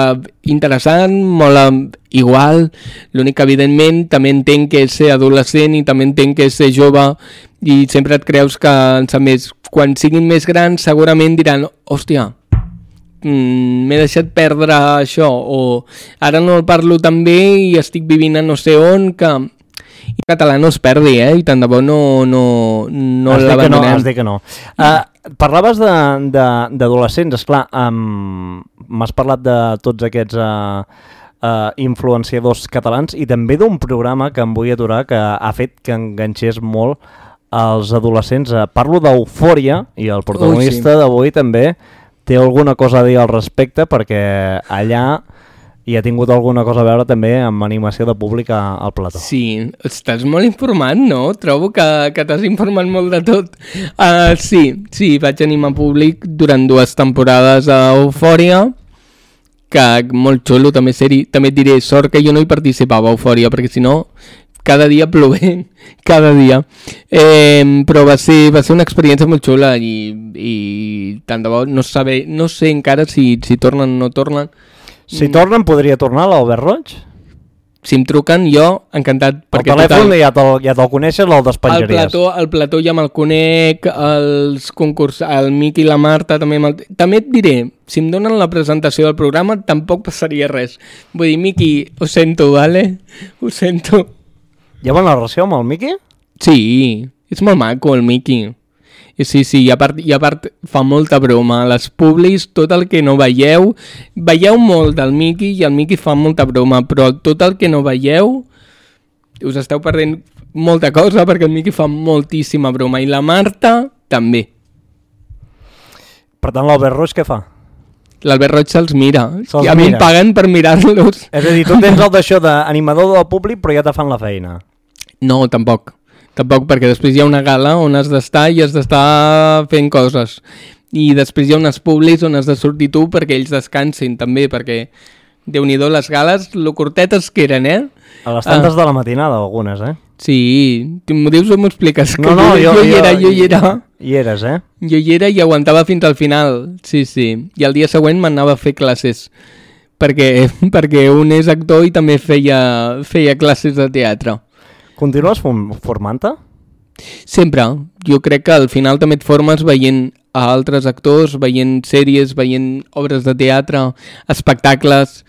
interessant, mola igual, l'únic que evidentment també entenc que és ser adolescent i també entenc que és ser jove i sempre et creus que en sap més. Quan siguin més grans segurament diran, hòstia, mm, m'he deixat perdre això, o ara no el parlo tan bé i estic vivint a no sé on, que i el català no es perdi, eh? I tant de bo no, no, no l'abandonem. Has dit que no, has dit que no. Uh, parlaves d'adolescents, esclar, um, m'has parlat de tots aquests uh, uh, influenciadors catalans i també d'un programa que em vull aturar que ha fet que enganxés molt als adolescents. Uh, parlo d'Eufòria i el protagonista sí. d'avui també té alguna cosa a dir al respecte perquè allà i ha tingut alguna cosa a veure també amb animació de públic al plató. Sí, estàs molt informat, no? Trobo que, que t'has informat molt de tot. Uh, sí, sí, vaig animar públic durant dues temporades a Eufòria, que molt xulo, també, seri, també et diré, sort que jo no hi participava a Eufòria, perquè si no, cada dia plovent, cada dia. Eh, però va ser, va ser una experiència molt xula i, i tant de bo, no, saber, no sé encara si, si tornen o no tornen. Si tornen, podria tornar l'Albert Roig? Si em truquen, jo, encantat. El telèfon total, ja te'l ja te coneixes, el despenjaries. El plató, el plató ja me'l conec, els concurs, el Miqui i la Marta també me'l... També et diré, si em donen la presentació del programa, tampoc passaria res. Vull dir, Miqui, ho sento, vale? Ho sento. Hi ha bona relació amb el Miqui? Sí, és molt maco el Miqui. Sí, sí, i a part, i a part fa molta broma. Les publis, tot el que no veieu, veieu molt del Miqui i el Miqui fa molta broma, però tot el que no veieu us esteu perdent molta cosa perquè el Miqui fa moltíssima broma i la Marta també. Per tant, l'Albert Roig què fa? L'Albert Roig se'ls mira. Se I a mi em paguen per mirar-los. És a dir, tu tens el d'això d'animador del públic però ja te fan la feina. No, tampoc. Tampoc, perquè després hi ha una gala on has d'estar i has d'estar fent coses. I després hi ha unes publis on has de sortir tu perquè ells descansin també, perquè Déu-n'hi-do les gales, lo curtetes que eren, eh? A les tantes ah. de la matinada, algunes, eh? Sí, m'ho dius o m'ho expliques? No, no, jo, jo, jo hi era, jo hi era. Hi eres, eh? Jo hi era i aguantava fins al final, sí, sí. I el dia següent m'anava a fer classes, perquè, perquè un és actor i també feia, feia classes de teatre. Continues formant-te? Sempre. Jo crec que al final també et formes veient a altres actors, veient sèries, veient obres de teatre, espectacles.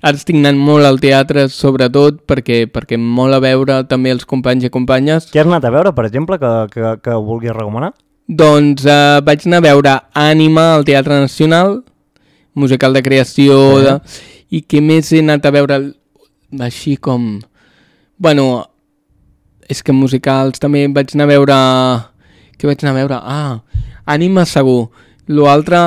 Ara estic anant molt al teatre, sobretot, perquè, perquè em mola veure també els companys i companyes. Què has anat a veure, per exemple, que, que, que vulguis recomanar? Doncs eh, vaig anar a veure Ànima al Teatre Nacional, musical de creació, sí. de... i què més he anat a veure així com... Bueno, és que musicals també vaig anar a veure... Què vaig anar a veure? Ah, Ànima segur. L'altre...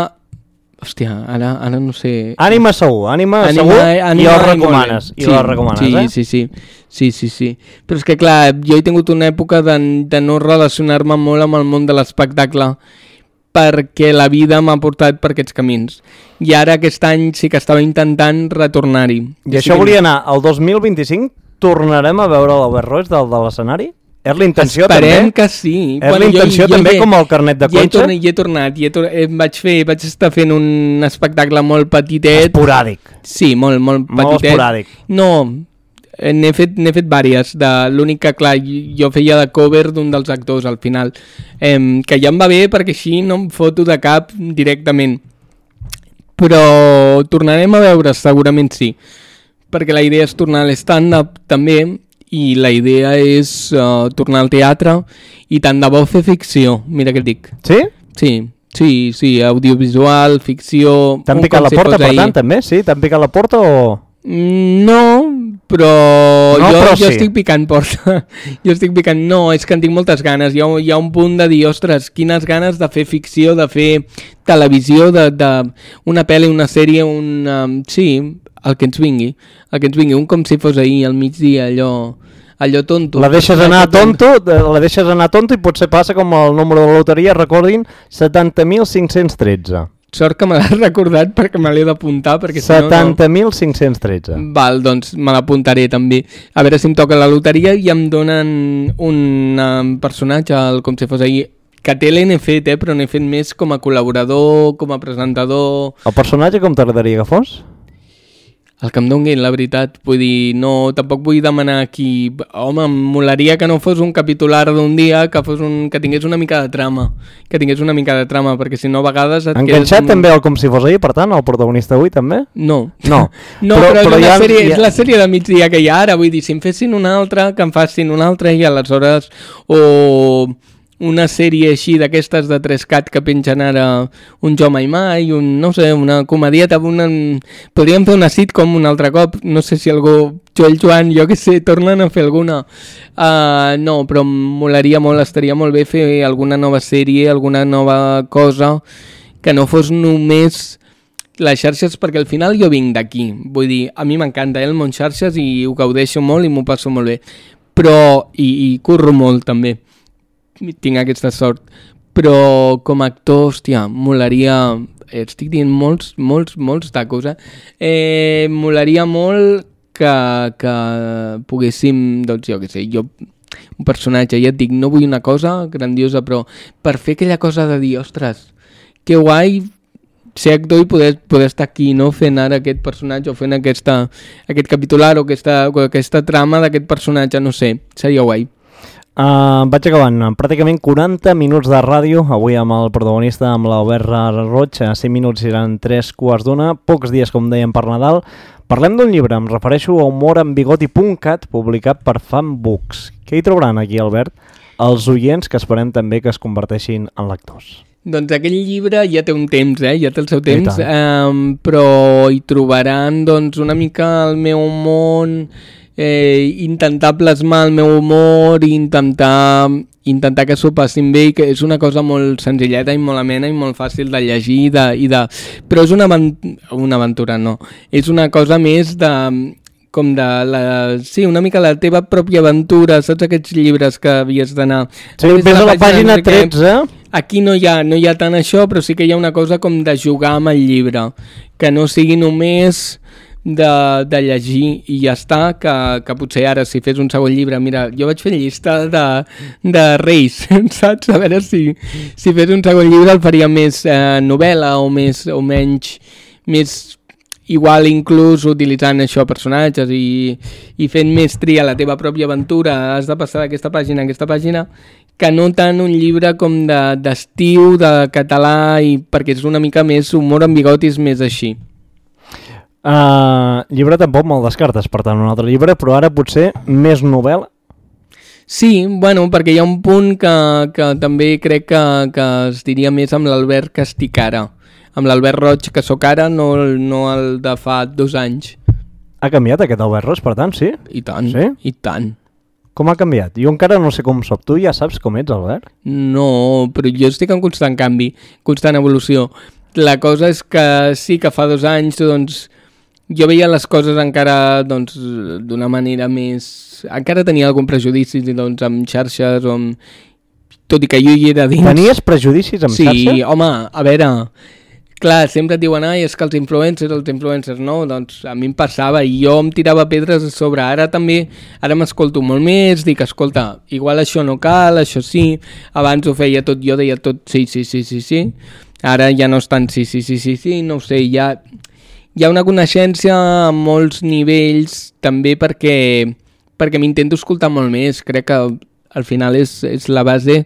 Hòstia, ara, ara no sé... Ànima segur, Ànima, ànima segur, ànima, i el recomanes. I sí, el recomanes, sí, eh? Sí, sí, sí, sí, sí. Però és que, clar, jo he tingut una època de, de no relacionar-me molt amb el món de l'espectacle perquè la vida m'ha portat per aquests camins. I ara aquest any sí que estava intentant retornar-hi. I això que... volia anar, el dos mil vint-i-cinc tornarem a veure l'Albert Roig del, de l'escenari? És la intenció Esperem també? Esperem que sí. És bueno, la intenció jo, jo també he, com el carnet de conxa? Conxa? Hi he tornat, hi he tornat, hi he, vaig, fer, vaig estar fent un espectacle molt petitet. Esporàdic. Sí, molt, molt petitet. Molt esporàdic. No, n'he fet, n'he fet vàries. L'únic que, clar, jo feia de cover d'un dels actors al final, eh, que ja em va bé perquè així no em foto de cap directament. Però tornarem a veure, segurament sí, perquè la idea és tornar a l'stand-up també, i la idea és uh, tornar al teatre i tant de bo fer ficció, mira què et dic. Sí? Sí, sí, sí, audiovisual, ficció... T'han picat la porta, per tant, també? Sí? T'han picat la porta o...? No, però, no, jo, però jo sí. estic picant porta. Jo estic picant... No, és que en tinc moltes ganes. Hi ha, hi ha un punt de dir, ostres, quines ganes de fer ficció, de fer televisió, de, de una pel·li, una sèrie, un... Um, sí, el que ens vingui. El que ens vingui, un com si fos ahir, al migdia, allò... allò tonto. La deixes anar tonto, la deixes anar tonto i potser passa com el número de la loteria, recordin, setanta mil cinc-cents tretze. Sort que me l'has recordat perquè me l'he d'apuntar. setanta mil cinc-cents tretze. No... Val, doncs me l'apuntaré també. A veure si em toca la loteria i em donen un personatge, el, com si fos ahir, que té l'he fet, eh, però n'he fet més com a col·laborador, com a presentador... El personatge com t'agradaria que fos? El que em donguin, la veritat. Vull dir, no, tampoc vull demanar aquí... Home, em molaria que no fos un capitular d'un dia, que fos un, que tingués una mica de trama. Que tingués una mica de trama, perquè si no a vegades... Et Enganxat un... també el com si fos ahir, per tant, el protagonista avui també? No. No, no però, però, però és, ja, sèrie, ja... és la sèrie de migdia que hi ha ara. Vull dir, si em fessin una altra, que em facin una altra i aleshores... O... una sèrie així d'aquestes de tres cat que pengen ara un Jo Mai Mai, un, no sé, una comedieta, una... podríem fer una sitcom un altre cop, no sé si algú, Joel Joan, jo que sé, tornen a fer alguna. Uh, no, però em molaria molt, estaria molt bé fer alguna nova sèrie, alguna nova cosa, que no fos només les xarxes, perquè al final jo vinc d'aquí, vull dir, a mi m'encanta eh, el món xarxes i ho gaudeixo molt i m'ho passo molt bé, però, i, i curro molt també, tinc aquesta sort, però com a actor, hòstia, molaria, estic dient molts, molts, molts tacos, eh? eh molaria molt que, que poguéssim, doncs jo què sé, jo, un personatge, ja et dic, no vull una cosa grandiosa, però per fer aquella cosa de dir, ostres, que guai ser actor i poder, poder estar aquí, no? Fent ara aquest personatge o fent aquesta, aquest capitular o aquesta, o aquesta trama d'aquest personatge, no sé, seria guai. Uh, vaig acabant, pràcticament quaranta minuts de ràdio, avui amb el protagonista, amb l'Albert Roig, a cinc minuts seran tres quarts d'una, pocs dies com dèiem per Nadal. Parlem d'un llibre, em refereixo a humorambbigoti punt cat, publicat per Fanbooks. Què hi trobaran aquí, Albert? Els oients que esperem també que es converteixin en lectors. Doncs aquell llibre ja té un temps, eh? Ja té el seu temps, um, però hi trobaran doncs, una mica el meu món... Eh, intentar plasmar el meu humor i intentar, intentar que s'ho passin bé, i que és una cosa molt senzilleta i molt amena i molt fàcil de llegir i de, i de... però és una, una aventura, no, és una cosa més de com de la... sí, una mica la teva pròpia aventura, saps aquests llibres que havies d'anar... Sí, ves a la pàgina tretze. Aquí no hi ha, no hi ha tant això, però sí que hi ha una cosa com de jugar amb el llibre, que no sigui només... De, de llegir i ja està, que, que potser ara si fes un segon llibre, mira, jo vaig fer llista de, de Reis, saps? A veure si, si fes un segon llibre el faria més eh, novel·la o més o menys, més igual inclús utilitzant això personatges i, i fent més tria la teva pròpia aventura, has de passar d'aquesta pàgina a aquesta pàgina, que no tant un llibre com de, d'estiu, de català, i perquè és una mica més humor amb bigotis, més així. Uh, llibre tampoc me'l descartes, per tant, un altre llibre, però ara potser més novel·la? Sí, bueno, perquè hi ha un punt que, que també crec que, que es diria més amb l'Albert que estic ara. amb l'Albert Roig que sóc ara, no, no el de fa dos anys. Ha canviat aquest Albert Roig, per tant, sí? I tant, sí? i tant. Com ha canviat? Jo encara no sé com soc. Tu ja saps com ets, Albert? No, però jo estic en constant canvi, constant evolució. La cosa és que sí que fa dos anys, doncs, jo veia les coses encara doncs, d'una manera més... Encara tenia algun prejudici doncs, amb xarxes o amb... Tot i que jo hi era dins... Tenies prejudicis amb sí, xarxa? Sí, home, a veure... Clar, sempre et diuen, ai, és que els influencers, els influencers, no? Doncs a mi em passava i jo em tirava pedres a sobre. Ara també, ara m'escolto molt més, dic, escolta, igual això no cal, això sí. Abans ho feia tot, jo deia tot sí, sí, sí, sí, sí. Ara ja no és tant sí, sí, sí, sí, sí, no ho sé, ja... Hi ha una coneixença a molts nivells també perquè, perquè m'intento escoltar molt més. Crec que al final és, és la base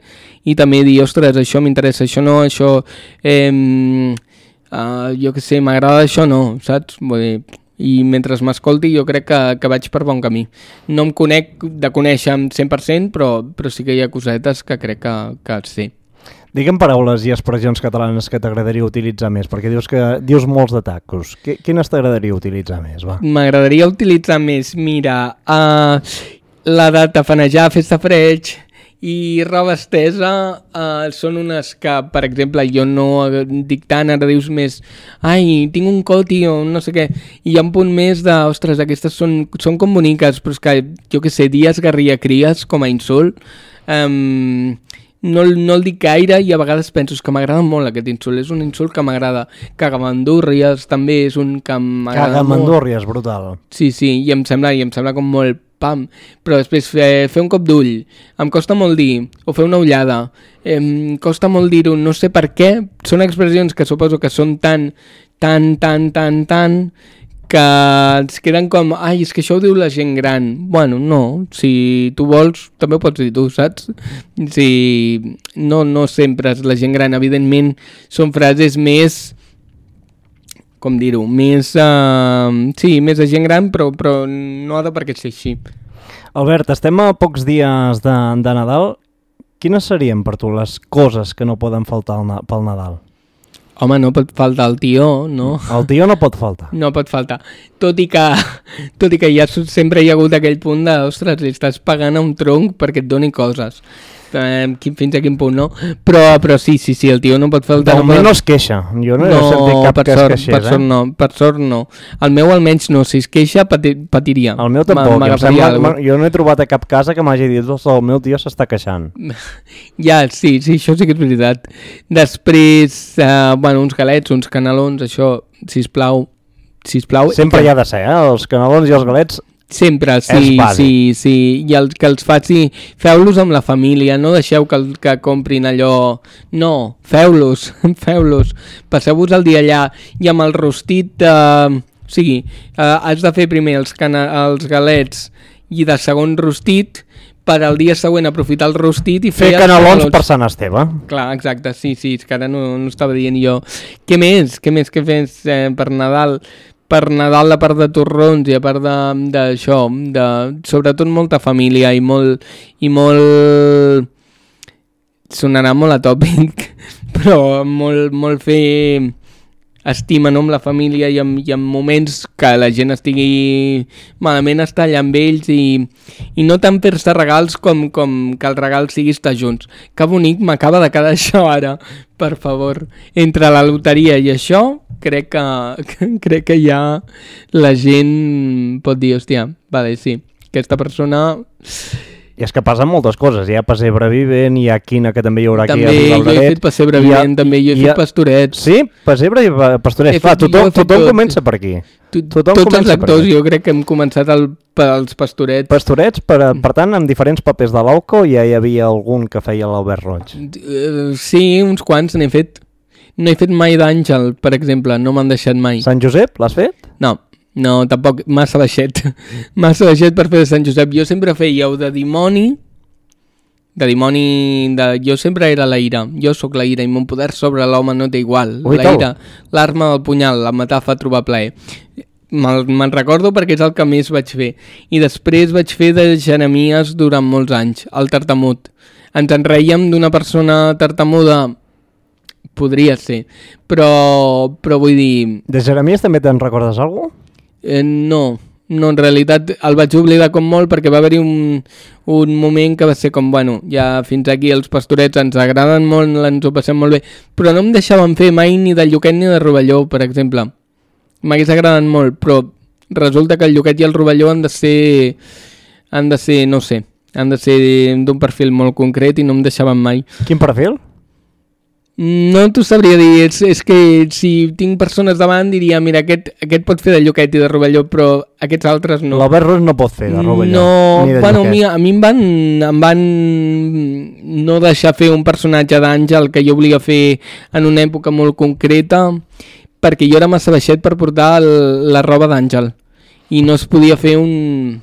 i també dir, ostres, això m'interessa, això no, això... Eh, Uh, jo que sé, m'agrada això no, saps? Vull dir, i mentre m'escolti jo crec que, que vaig per bon camí. No em conec de conèixer amb cent per cent, però, però sí que hi ha cosetes que crec que, que sé. Digue'm paraules i expressions catalanes que t'agradaria utilitzar més, perquè dius que dius molts de tacos. Quines t'agradaria utilitzar més, va? M'agradaria utilitzar més, mira, uh, la de tafanejar, festa freig... I roba estesa uh, són unes que, per exemple, jo no dic tant, ara dius més ai, tinc un coti o no sé què, i hi ha un punt més de, ostres, aquestes són, són com boniques, però és que, jo què sé, dies garria cries com a insult, um, no, no el dic gaire i a vegades penso que m'agrada molt aquest insult, és un insult que m'agrada. Cagamandúrries també és un que m'agrada molt. Cagamandúrries, brutal. Sí, sí, i em sembla, i em sembla com molt pam, però després fer, fer un cop d'ull, em costa molt dir, o fer una ullada, em costa molt dir-ho, no sé per què, són expressions que suposo que són tan, tan, tan, tan, tan, que ens queden com, ai, és que això ho diu la gent gran. Bueno, no, si tu vols, també ho pots dir tu, saps? Si no, no sempre és la gent gran, evidentment, són frases més... com dir-ho, més, uh, sí, més de gent gran, però, però no ha de per què ser així. Albert, estem a pocs dies de, de Nadal. Quines serien per tu les coses que no poden faltar pel Nadal? Home, no pot faltar el tió, no? El tió no pot faltar. No pot faltar. Tot i que, tot i que ja sempre hi ha hagut aquell punt de, ostres, li estàs pagant a un tronc perquè et doni coses. Eh, fins a quin punt, no? Però, però sí, sí, sí, el tio no pot faltar... De moment no es queixa. Jo no, no he sentit cap que es queixés, per sort, eh? no, per sort no. El meu almenys no, si es queixa pati, patiria. El meu tampoc, em sembla, jo no he trobat a cap casa que m'hagi dit que el meu tio s'està queixant. Ja, sí, sí, això sí que és veritat. Després, eh, bueno, uns galets, uns canelons, això, sisplau, sisplau. Sempre hi ha de ser, eh? Els canelons i els galets... Sempre, sí, sí, sí, i el que els faci, feu-los amb la família, no deixeu que, que comprin allò, no, feu-los, feu-los, passeu-vos el dia allà, i amb el rostit, eh, o sigui, eh, has de fer primer els, cana els galets i de segon rostit, per al dia següent aprofitar el rostit i fer... Fer canelons per Sant Esteve. Clar, exacte, sí, sí, és que ara no, no estava dient jo. Què més? Què més que fes eh, per Nadal? Per Nadal, a part de torrons i a part d'això, de, de, sobretot molta família i molt, i molt... sonarà molt atòpic, però molt, molt fer estima, no, amb la família i en, i en moments que la gent estigui malament, estar allà amb ells i, i no tant fer-se regals com, com que el regal sigui estar junts. Que bonic, m'acaba de quedar això ara, per favor. Entre la loteria i això, crec que, que, crec que ja la gent pot dir, hòstia, vale, sí, aquesta persona... I és que passen moltes coses, hi ha pessebre vivent, hi ha quina que també hi haurà també, aquí a Vilabraret. També, jo he fet pessebre vivent, ha, també, jo he, he fet pastorets. Sí? Pessebre i pastorets, clar, tothom, tothom comença per aquí. Tu, tothom tots els actors, jo crec que hem començat el, pels pastorets. Pastorets, per, per tant, amb diferents papers de l'Auco ja hi havia algun que feia l'Albert Roig. Uh, sí, uns quants n'he fet. No he fet mai d'Àngel, per exemple, no m'han deixat mai. Sant Josep, l'has fet? No. No, tampoc, massa baixet. Massa baixet per fer de Sant Josep. Jo sempre feia o de dimoni, de dimoni, de... jo sempre era la ira. Jo sóc la ira i mon poder sobre l'home no té igual. Ui, la ira, l'arma del punyal, la matar fa trobar plaer. Me'n recordo perquè és el que més vaig fer. I després vaig fer de Jeremies durant molts anys, el tartamut. Ens en reiem d'una persona tartamuda podria ser. Però, però vull dir... De Jeremies també te'n recordes alguna cosa? Eh, no, no, en realitat el vaig oblidar com molt perquè va haver-hi un, un moment que va ser com, bueno, ja fins aquí els pastorets ens agraden molt, ens ho passem molt bé, però no em deixaven fer mai ni de Lluquet ni de Rovelló, per exemple. M'hagués agradat molt, però resulta que el Lluquet i el Rovelló han de ser, han de ser, no sé, han de ser d'un perfil molt concret i no em deixaven mai. Quin perfil? No t'ho sabria dir, és, és que si tinc persones davant diria, mira, aquest, aquest pot fer de Lluquet i de Rovelló, però aquests altres no. L'Albert Ros no pot fer de Rovelló. No, ni de bueno, a mi, Lluquet. a mi em van, em van no deixar fer un personatge d'Àngel que jo volia fer en una època molt concreta, perquè jo era massa baixet per portar el, la roba d'Àngel i no es podia fer un...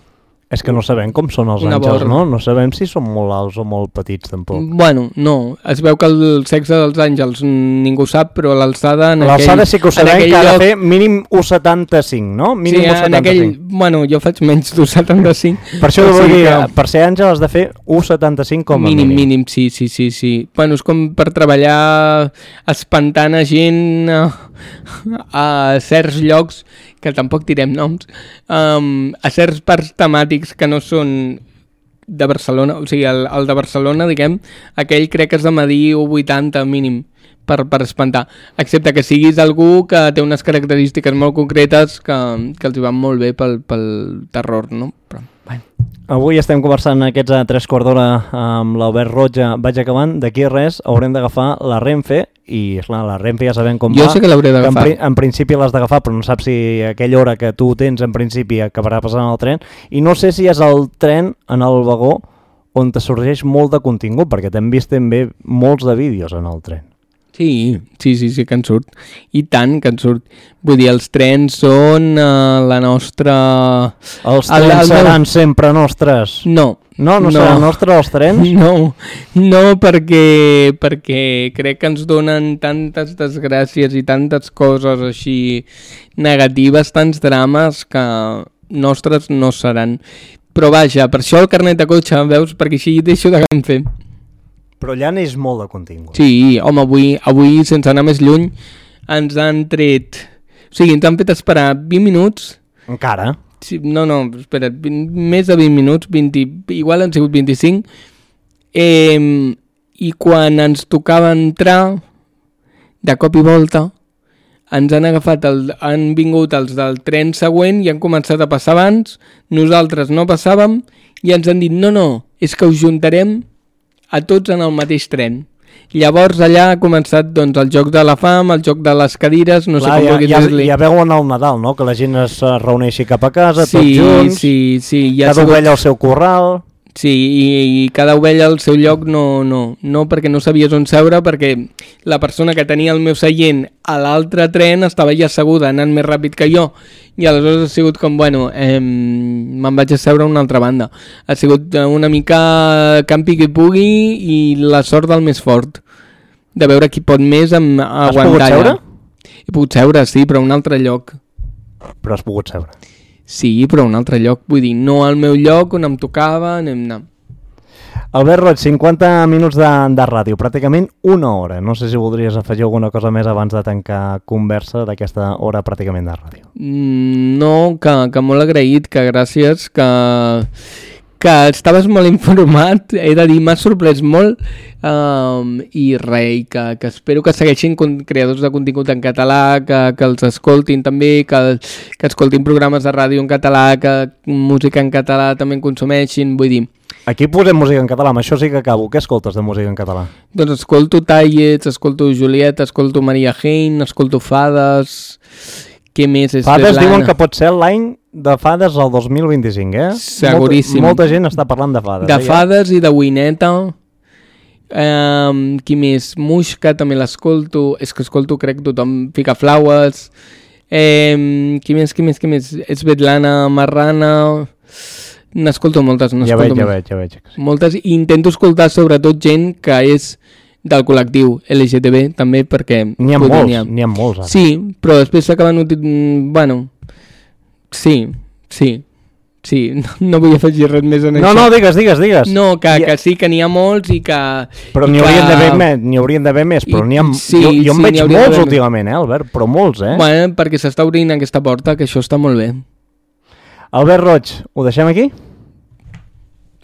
És que no sabem com són els Una àngels, borra. no? No sabem si són molt alts o molt petits, tampoc. Bueno, no, es veu que el sexe dels àngels ningú sap, però l'alçada en aquell... L'alçada sí que ho en sabem, aquell que ha de lloc- fer mínim u setanta-cinc, no? Mínim Sí, u en setanta-cinc. aquell... Bueno, jo faig menys d'un setanta-cinc. Per això o vull sigui dir, que- per ser àngel has de fer u setanta-cinc com a mínim, mínim. mínim, sí, sí, sí, sí. Bueno, és com per treballar espantant a gent a, a certs llocs, que tampoc tirem noms, um, a certs parcs temàtics que no són de Barcelona, o sigui, el, el de Barcelona, diguem, aquell crec que has de medir u vuitanta mínim per, per espantar, excepte que siguis algú que té unes característiques molt concretes que, que els hi van molt bé pel, pel terror, no? Però, bueno. Avui estem conversant aquests a tres quarts d'hora amb l'Albert Roja. Vaig acabant, d'aquí res haurem d'agafar la Renfe i, esclar, la Renfe ja sabem com Jo va. sé que l'hauré que En, d'agafar. pri en principi l'has d'agafar, però no saps si aquella hora que tu tens en principi acabarà passant el tren. I no sé si és el tren en el vagó on te sorgeix molt de contingut, perquè t'hem vist també molts de vídeos en el tren. Sí, sí, sí, sí que en surt. I tant que en surt. Vull dir, els trens són uh, la nostra... Els El- trens el meu- seran sempre nostres. No. No, no, no seran nostres els trens? No, no perquè, perquè crec que ens donen tantes desgràcies i tantes coses així negatives, tants drames que nostres no seran. Però vaja, per això el carnet de cotxe, veus? Perquè així deixo de fer. Però allà n'és molt de contingut. Sí, home, avui, avui, sense anar més lluny, ens han tret... O sigui, ens han fet esperar vint minuts... Encara? Sí, no, no, espera, vint, més de vint minuts, vint, igual han sigut vint-i-cinc, eh, i quan ens tocava entrar, de cop i volta, ens han agafat, el, han vingut els del tren següent i han començat a passar abans, nosaltres no passàvem, i ens han dit, no, no, és que us juntarem a tots en el mateix tren. Llavors allà ha començat doncs, el joc de la fam, el joc de les cadires, no Clar, sé com ja, vulguis ja, dir-li. ja veuen el Nadal, no? Que la gent es eh, reuneixi cap a casa, Sí, tots junts, sí, sí, ja ha cada sigut- ovella al seu corral... Sí, i, i cada ovella al seu lloc no, no, no perquè no sabies on seure, perquè la persona que tenia el meu seient a l'altre tren estava ja asseguda, anant més ràpid que jo, i aleshores ha sigut com, bueno, eh, me'n vaig a seure a una altra banda. Ha sigut una mica campi que pugui i la sort del més fort, de veure qui pot més amb Has aguantar pogut seure? allà. He pogut seure, sí, però a un altre lloc. Però has pogut seure. Sí, però a un altre lloc, vull dir, no al meu lloc on em tocava, anem anar. Albert Roig, cinquanta minuts de, de ràdio, pràcticament una hora. No sé si voldries afegir alguna cosa més abans de tancar conversa d'aquesta hora pràcticament de ràdio. Mm, No, que, que molt agraït, que gràcies, que, que estaves molt informat, he de dir, m'ha sorprès molt, um, i rei, que, que espero que segueixin con- creadors de contingut en català, que, que els escoltin també, que, que escoltin programes de ràdio en català, que música en català també en consumeixin, vull dir, Aquí posem música en català, amb això sí que acabo. Què escoltes de música en català? doncs escolto Tallets, escolto Julieta, escolto Maria Hein, escolto Fades, què més és Fades Svetlana? diuen que pot ser l'any de Fades al dos mil vint-i-cinc, eh? Seguríssim. Molta, molta gent està parlant de Fades. De eh, ja? Fades i de Wineta. Um, qui més? Muixca també l'escolto. És que escolto, crec, tothom fica flaues. Um, qui més, qui més, qui més? Svetlana Marrana. N'escolto moltes. Ja veig, ja veig, ja veig. Moltes. I intento escoltar sobretot gent que és del col·lectiu L G T B també, perquè... N'hi ha vull dir, molts, n'hi ha molts ara. Sí, però després s'acaben... uti- mm, Bueno, sí, sí, Sí, no, no vull afegir res més en no, això. No, no, digues, digues, digues. No, que, I... que sí, que n'hi ha molts i que... Però n'hi que... haurien d'haver més, n'hi haurien d'haver més, però n'hi ha... Sí, jo jo en sí, veig molts d'haver... últimament, eh, Albert? Però molts, eh? Bueno, perquè s'està obrint aquesta porta, que això està molt bé. Albert Roig, ho deixem aquí?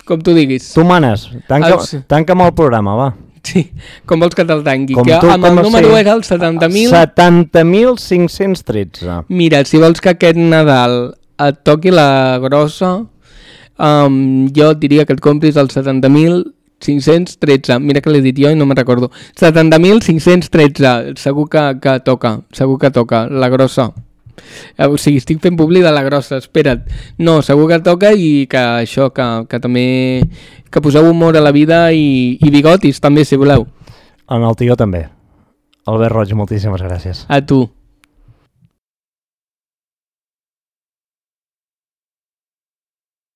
Com tu diguis. Tu manes, tanca, Els... tanca'm el programa, va. Sí, com vols que te'l tanqui? Com que tu, amb el com número sí. era el setanta mil... setanta mil cinc-cents tretze. Mira, si vols que aquest Nadal et toqui la grossa, um, jo et diria que et compris el setanta mil cinc-cents tretze. Mira que l'he dit jo i no me'n recordo. setanta mil cinc-cents tretze. Segur que, que toca, segur que toca, la grossa. O sigui, estic fent publi de la grossa, espera't. No, segur que toca i que això, que, que també... que poseu humor a la vida i, i bigotis també, si voleu. En el tio també. Albert Roig, moltíssimes gràcies. A tu.